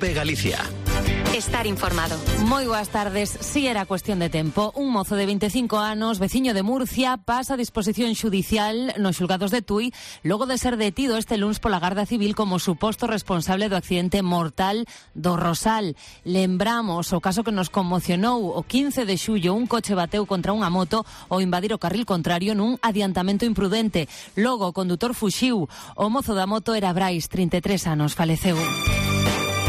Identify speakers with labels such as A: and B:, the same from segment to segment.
A: COPE Galicia.
B: Estar informado.
C: Moi boas tardes. Si era cuestión de tempo, un mozo de 25 anos, veciño de Murcia, pasa a disposición xudicial nos xulgados de Tui logo de ser detido este luns pola Garda Civil como suposto responsable do accidente mortal do Rosal. Lembramos o caso que nos conmocionou o 15 de xullo, un coche bateu contra unha moto ao invadir o carril contrario nun adiantamento imprudente. Logo o condutor fuxiu. O mozo da moto era Brais, 33 anos, faleceu.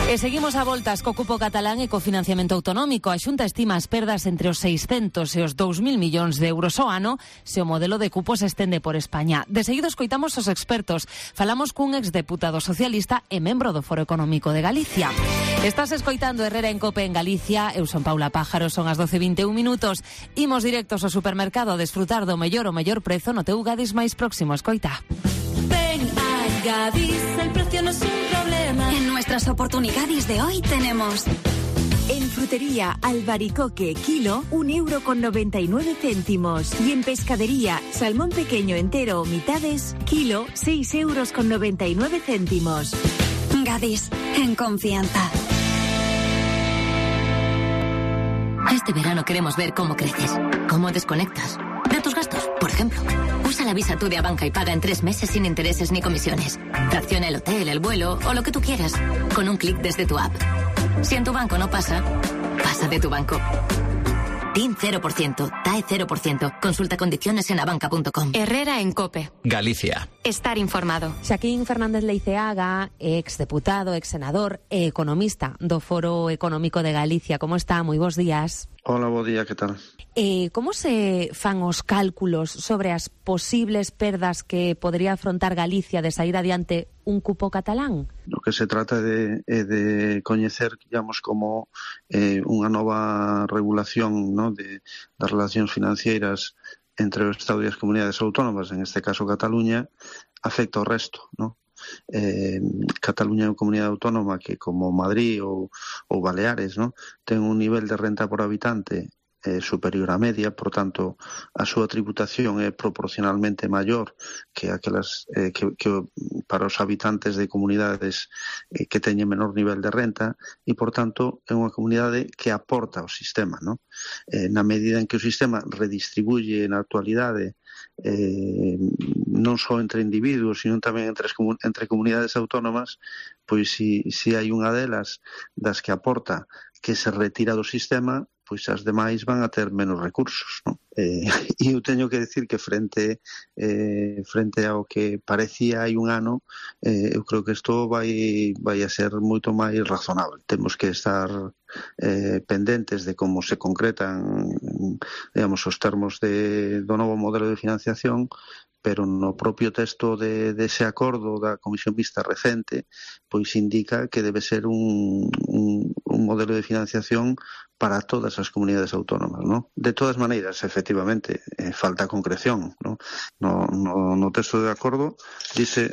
C: E seguimos a voltas co cupo catalán e co financiamento autonómico. A Xunta estima as perdas entre os 600 e os 2.000 millóns de euros ao ano se o modelo de cupo se estende por España. De seguido escoitamos os expertos. Falamos cun exdeputado socialista e membro do Foro Económico de Galicia. Estás escoitando Herrera en Cope en Galicia. Eu son Paula Pájaro, son as 12:21 minutos. Imos directos ao supermercado a desfrutar do mellor prezo no teu Gadis máis próximo. Escoita.
D: Ven a Gadis, el precio no es un problema.
B: En nuestras oportunidades de hoy tenemos...
E: En frutería Albaricoque, kilo, 1,99 €. Y en pescadería, salmón pequeño entero o mitades, kilo, 6,99 €.
B: Gadis, en confianza. Este verano queremos ver cómo creces, cómo desconectas de tus gastos, por ejemplo. Usa la Visa Tú de Abanca y paga en 3 meses sin intereses ni comisiones. Fracciona el hotel, el vuelo o lo que tú quieras con un clic desde tu app. Si en tu banco no pasa, pasa de tu banco. TIN 0%, TAE 0%. Consulta condiciones en abanca.com.
C: Herrera en Cope.
A: Galicia.
B: Estar informado.
C: Xaquín Fernández Leiceaga, exdeputado, exsenador e economista do Foro Económico de Galicia. Como está? Moi bons días.
F: Hola, bo día, que tal?
C: Como se fan os cálculos sobre as posibles perdas que podría afrontar Galicia de sair adiante un cupo catalán?
F: O que se trata de coñecer, digamos, como unha nova regulación, ¿no?, das relacións financeiras entre o Estado e as comunidades autónomas, en este caso Cataluña, afecta ao resto, ¿no? Cataluña é unha comunidade autónoma que, como Madrid ou Baleares, ¿no?, ten un nivel de renta por habitante superior á media, por tanto, a súa tributación é proporcionalmente maior que aquelas que para os habitantes de comunidades que teñen menor nivel de renta e, por tanto, é unha comunidade que aporta ao sistema, ¿no? Na medida en que o sistema redistribuye na actualidade non só entre individuos, sino tamén entre comunidades autónomas, pois si hai unha delas das que aporta que se retira do sistema, pois as demais van a ter menos recursos, ¿no? E eu teño que decir que frente ao que parecía hai un ano, eu creo que isto vai a ser moito máis razonable. Temos que estar pendentes de como se concretan, digamos, os termos do novo modelo de financiación, pero no propio texto dese acordo da Comisión Mixta recente, pois indica que debe ser un modelo de financiación para todas as comunidades autónomas, ¿no? De todas maneiras, efectivamente, falta concreción, ¿no? No texto de acordo dice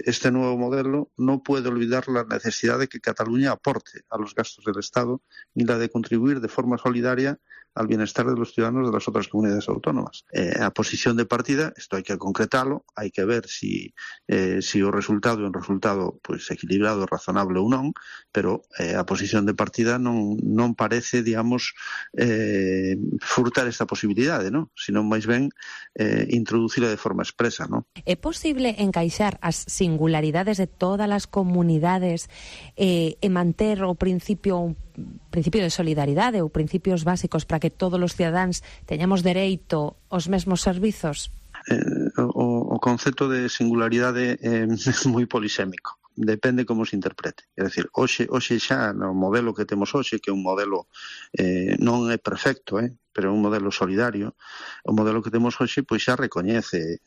F: este nuevo modelo no puede olvidar la necesidad de que Cataluña aporte a los gastos del Estado y la de contribuir de forma solidaria al bienestar de los ciudadanos de las otras comunidades autónomas. A posición de partida, esto hai que concretarlo, hai que ver si o resultado é un resultado pois equilibrado, razonable ou non, pero a posición de partida non parece, digamos, furtar esta posibilidade, ¿no?, sino máis ben introducila de forma expresa, ¿no?
C: É posible encaixar as singularidades de todas as comunidades e manter o principio de solidaridade ou principios básicos para que todos os cidadáns teñamos dereito aos mesmos servizos?
F: O concepto de singularidade é moi polisémico. Depende como se interprete. É dicir, hoxe xa no modelo que temos hoxe, que é un modelo non é perfecto, pero é un modelo solidario, o modelo que temos hoxe pois xa recoñece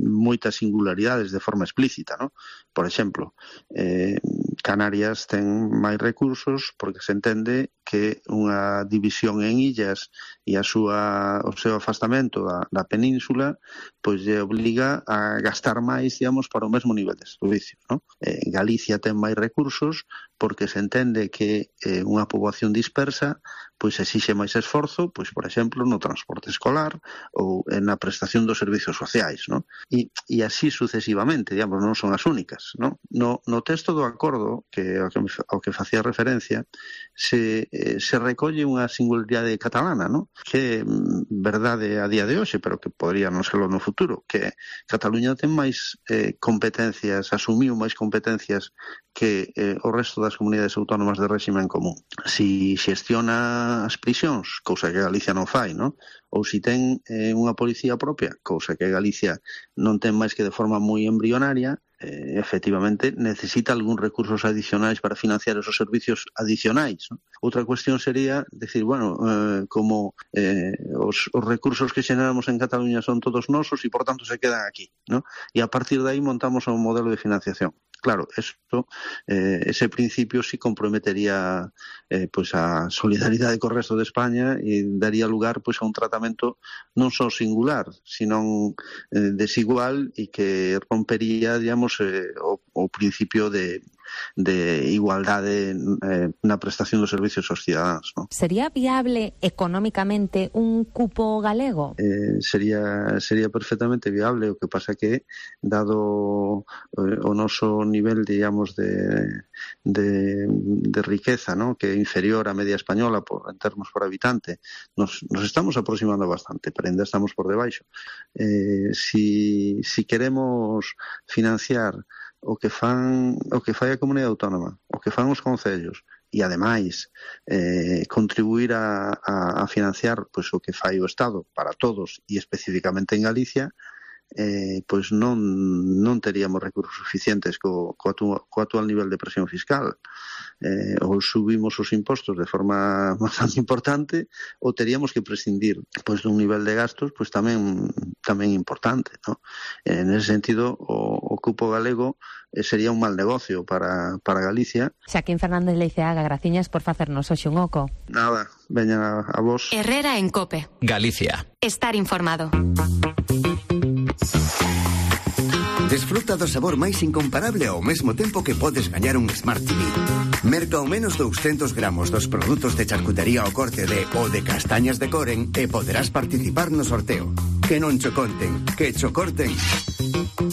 F: moitas singularidades de forma explícita, ¿no? Por exemplo, Canarias ten máis recursos porque se entende que unha división en illas e o seu afastamento da península pois lle obliga a gastar máis, digamos, para o mesmo nivel de servicio, ¿no? Galicia ten máis recursos porque se entende que unha poboación dispersa pois exixe máis esforzo, pois por exemplo, no transporte escolar ou na prestación dos servizos sociais, non? E así sucesivamente, digamos, non son as únicas, non? No texto do acordo, que ao que facía referencia, se recolle unha singularidade catalana, non? Que é verdade a día de hoxe, pero que podría non serlo no futuro, que Cataluña ten máis competencias, asumiu máis competencias que o resto das comunidades autónomas de réxime en común. Si xestiona as prisións, cousa que Galicia non fai, non? Ou si ten unha policía propia, cousa que Galicia non ten máis que de forma moi embrionaria, efectivamente necesita algúns recursos adicionais para financiar esos servicios adicionais, ¿no? Outra cuestión sería decir, bueno, como os recursos que xeneramos en Cataluña son todos nosos e por tanto se quedan aquí, ¿no? E a partir de aí montamos un modelo de financiación. Claro, ese principio sí comprometería pois a solidaridade co resto de España e daría lugar pois a un tratamento non só singular, sino desigual e que rompería, digamos, o principio de igualdade na prestación dos servicios aos cidadáns, ¿no?
C: Sería viable económicamente un cupo galego?
F: Sería perfectamente viable, o que pasa que dado o noso nivel, digamos, de riqueza, ¿no? Que é inferior á media española en termos por habitante, nos estamos aproximando bastante, pero ainda estamos por debaixo. Si queremos financiar o que fai a comunidade autónoma, o que fan os concellos e ademais contribuir a financiar pois o que fai o Estado para todos e especificamente en Galicia, pois non teríamos recursos suficientes co actual nivel de presión fiscal. Ou subimos os impostos de forma bastante importante ou teríamos que prescindir pois dun nivel de gastos pois tamén importante, ¿no? En ese sentido o cupo galego sería un mal negocio para Galicia.
C: Xaquín Fernández Leiceaga, graciñas por facernos hoxe un oco.
F: Nada, veña a vos.
B: Herrera en COPE.
A: Galicia.
B: Estar informado.
G: Desfruta do sabor máis incomparable ao mesmo tempo que podes gañar un Smart TV. Merca ao menos 200 gramos dos produtos de charcutería ao corte de o de castañas de Coren e poderás participar no sorteo. Que non cho conten, que cho corten.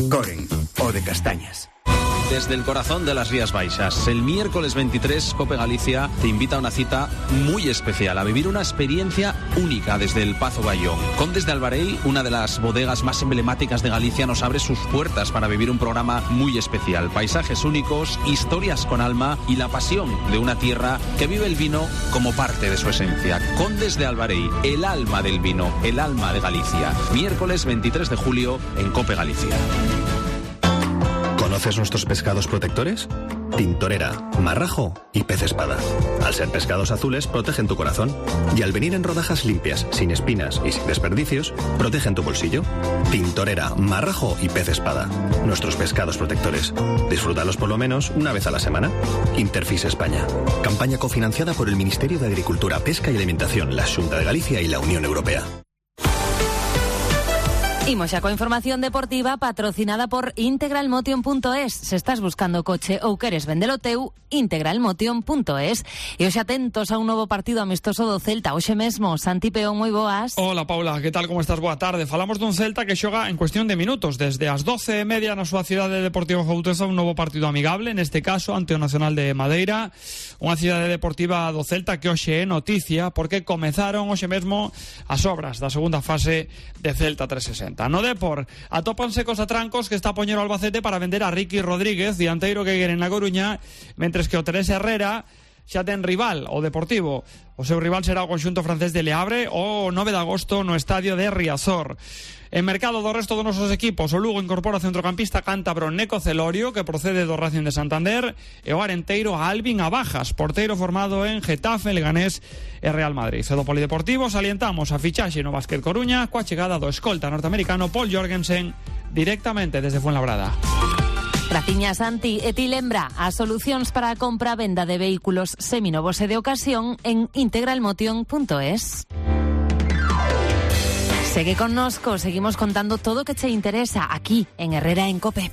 G: Coren, o de castañas.
A: Desde el corazón de las Rías Baixas, el miércoles 23, COPE Galicia te invita a una cita muy especial, a vivir una experiencia única desde el Pazo Bayón. Condes de Albarei, una de las bodegas más emblemáticas de Galicia, nos abre sus puertas para vivir un programa muy especial. Paisajes únicos, historias con alma y la pasión de una tierra que vive el vino como parte de su esencia. Condes de Albarei, el alma del vino, el alma de Galicia. Miércoles 23 de julio en COPE Galicia.
H: ¿Conoces nuestros pescados protectores? Tintorera, marrajo y pez espada. Al ser pescados azules, protegen tu corazón. Y al venir en rodajas limpias, sin espinas y sin desperdicios, protegen tu bolsillo. Tintorera, marrajo y pez espada. Nuestros pescados protectores. Disfrútalos por lo menos una vez a la semana. Interfis España. Campaña cofinanciada por el Ministerio de Agricultura, Pesca y Alimentación, la Xunta de Galicia y la Unión Europea.
C: Imos xa coa información deportiva patrocinada por integralmotion.es. Se estás buscando coche ou queres vendelo teu, integralmotion.es. E hoxe atentos a un novo partido amistoso do Celta. Hoxe mesmo, Santi Peón, moi boas.
I: Hola, Paula, que tal, como estás? Boa tarde. Falamos dun Celta que xoga en cuestión de minutos. Desde as 12:30 na súa cidade deportiva Jouteza, un novo partido amigable, neste caso ante o Nacional de Madeira. Unha cidade deportiva do Celta que hoxe é noticia porque comezaron hoxe mesmo as obras da segunda fase de Celta 360. No Depor atópanse cos atrancos que está a poñer o Albacete para vender a Ricky Rodríguez, dianteiro que queren na Coruña, mentres que o Teresa Herrera xa ten rival, o Deportivo. O seu rival será o conxunto francés de Le Havre o 9 de agosto no estadio de Riazor. En mercado do resto dos nosos equipos, o Lugo incorpora o centrocampista cántabro Neco Celorio, que procede do Racing de Santander, e o arenteiro Alvin Abajas, porteiro formado en Getafe, Leganés e Real Madrid. E do Polideportivo salientamos a fichaxe no Básquet Coruña coa chegada do escolta norteamericano Paul Jorgensen directamente desde Fuenlabrada.
C: Graciña, Santi. E ti lembra as solucións para a compra e venda de vehículos seminovos e de ocasión en integralmotion.es. Segue connosco, seguimos contando todo o que te interesa aquí en Herrera en COPE.